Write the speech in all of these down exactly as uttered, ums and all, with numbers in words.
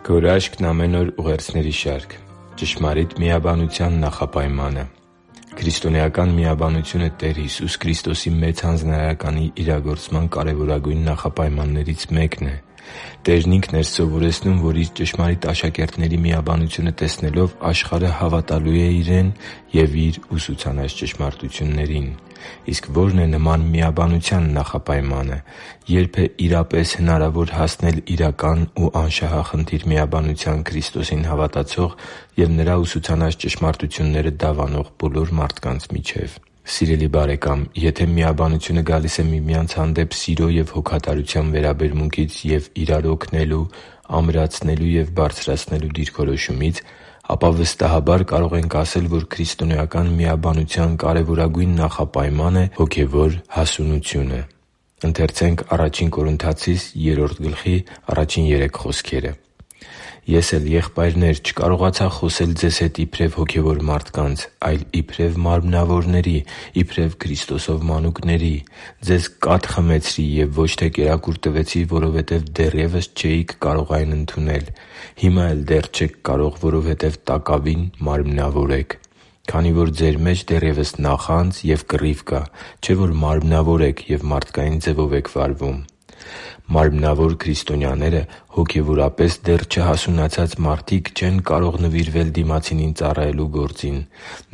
Քո հրաշքն ամեն օր ուղերձների շարք։ Ճշմարիտ միաբանության նախապայմանը։ Քրիստոնեական միաբանությունը Տեր Հիսուս Քրիստոսի Մեծ Հանձնարարականի իրագործման կարևորագույն նախապայմաններից մեկն է։ Տերն Ինքն էր սովորեցնում, որ Իր ճշմարիտ աշակերտների միաբանությունը տեսնելով աշխարհը հավատալու է Իրեն և Իր ուսուցանած ճշմարտություններին։ Իսկ ո՞րն է նման միաբանության նախապայմանը։ Ե՞րբ է իրապես հնարավոր հասնել իրական ու անշահախնդիր միաբանության Քրիստոսին հավատացող և Նրա ուսուցանած ճշմարտությունները դավանող բոլոր մարդկանց միջև։ Սիրելի՛ բարեկամ, եթե միաբանությունը գալիս է միմյանց հանդեպ սիրո և հոգատարության վերաբերմունքից և իրար օգնելու, ամրացնելու և բարձրացնելու դիրքորոշումից, ապա վստահաբար կարող ենք ասել, որ քրիստոնեական միաբանության կարևորագույն նախապայմանը հոգևոր հասունությունը։ «Ես էլ, եղբայրնե՛ր, չկարողացա խոսել ձեզ հետ իբրև հոգևոր մարդկանց, այլ իբրև մարմնավորների, իբրև Քրիստոսով մանուկների։ Ձեզ կաթ խմեցրի և ոչ թե կերակուր տվեցի, որովհետև դեռևս չէիք կարող այն ընդունել։ Հիմա էլ դեռ չեք կարող, որովհետև տակավին մարմնավոր եք։ Քանի որ ձեր մեջ դեռևս նախանձ և կռիվ կա, չէ՞ որ մարմնավոր եք և մարդկային ձևով եք վարվում» (Ա Կորնթացիս երրորդ գլխի առաջին երեք խոսքերը)։ Մարմնավոր քրիստոնյաները հոգևորապես դեռ չհասունացած մարդիկ չեն կարող նվիրվել դիմացինին ծառայելու գործին։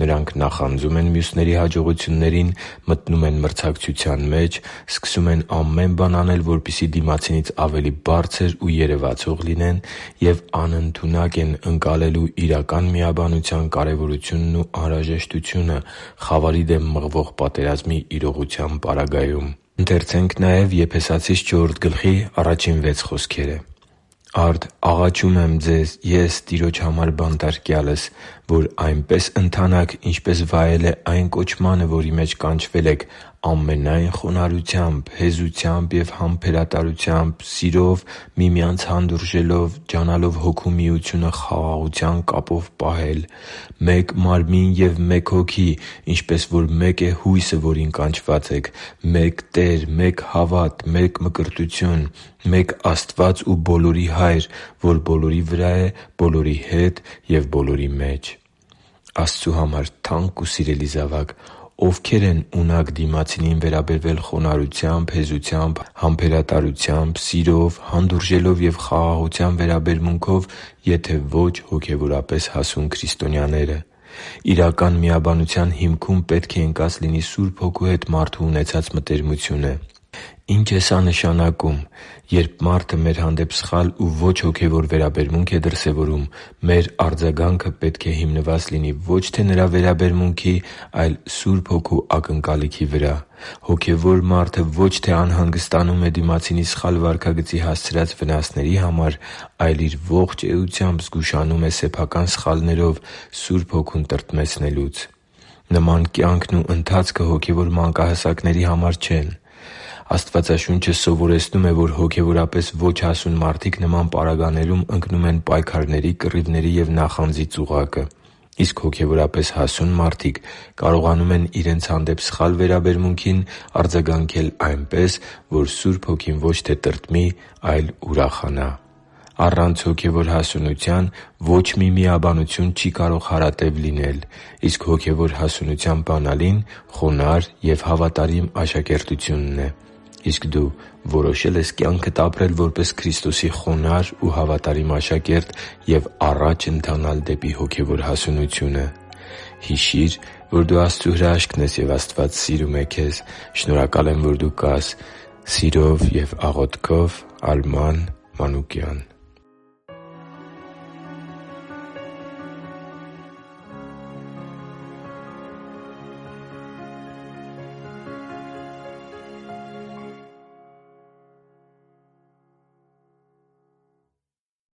Նրանք նախանձում են մյուսների հաջողություններին, մտնում են մրցակցության մեջ, սկսում են ամեն բան անել, որպեսզի դիմացինից ավելի բարձր ու երևացող լինեն և անընդունակ են ընկալելու իրական միաբանության կարևորությունն ու անհրաժեշտությունը խավարի դեմ մղվող պատերազմի իրողության պարագայում։ «Արդ աղաչում եմ ձեզ՝ ես՝ Տիրոջ համար բանտարկյալս, որ այնպես ընթանաք, ինչպես վայել է այն կոչմանը, որի մեջ կանչվել եք, ամենայն խոնարհությամբ, հեզությամբ և համբերատարությամբ, սիրով միմյանց հանդուրժելով, ջանալով Հոգու միությունը խաղաղության կապով պահել։ Մեկ Մարմին և մեկ Հոգի, ինչպես որ մեկ է հույսը, որին կանչված եք, մեկ Տեր, մեկ հավատ, մեկ մկրտություն, մեկ Աստված ու բոլորի Հայր, որ բոլորի վրա է, բոլորի հետ և բոլորի մեջ» (Եփեսացիս չորրորդ գլխի առաջին վեց խոսքերը)։ Աստծու համար թանկ ու սիրելի՛ զավակ, ովքե՞ր են ունակ դիմացինին վերաբերվել խոնարհությամբ, հեզությամբ, համբերատարությամբ, սիրով, հանդուրժելով և խաղաղության վերաբերմունքով, եթե ոչ հոգևորապես հասուն քրիստոնյաները։ Իրական միաբանության հիմքում պետք է ընկած լինի Սուրբ Հոգու հետ մարդու ունեցած մտերմությունը։ Ի՞նչ է սա նշանակում։ Երբ մարդը մեր հանդեպ սխալ ու ոչ հոգևոր վերաբերմունք է դրսևորում, մեր արձագանքը պետք է հիմնված լինի ոչ թե նրա վերաբերմունքի, այլ Սուրբ Հոգու ակնկալիքի վրա։ Հոգևոր մարդը ոչ թե անհանգստանում է դիմացինի սխալ վարքագծի հասցրած վնասների համար, այլ իր ողջ էությամբ զգուշանում է սեփական սխալներով Սուրբ Հոգուն տրտմեցնելուց։ Նման կյանքն ու ընթացքը հոգևոր մանկահասակների համար չեն։ Աստվածաշունչը սովորեցնում է, որ հոգևորապես ոչ հասուն մարդիկ նման պարագաներում ընկնում են պայքարների, կռիվների և նախանձի ծուղակը։ Իսկ հոգևորապես հասուն մարդիկ կարողանում են իրենց հանդեպ սխալ վերաբերմունքին արձագանքել այնպես, որ Սուրբ Հոգին ոչ թե տրտմի, այլ ուրախանա։ Առանց հոգևոր հասունության ոչ մի միաբանություն չի կարող հարատև լինել։ Իսկ հոգևոր հասունության բանալին խոնարհ և հավատարիմ աշակերտությունն է։ Իսկ դու որոշե՞լ ես կյանքդ ապրել որպես Քրիստոսի խոնարհ ու հավատարիմ աշակերտ և առաջ ընթանալ դեպի հոգևոր հասունությունը։ Հիշի՛ր, որ դու Աստծո հրաշքն ես, և Աստված սիրում է քեզ։ Շնորհակալ եմ, որ դու կա՛ս։ Սիրով և աղոթքով՝ Արման Մանուկյան։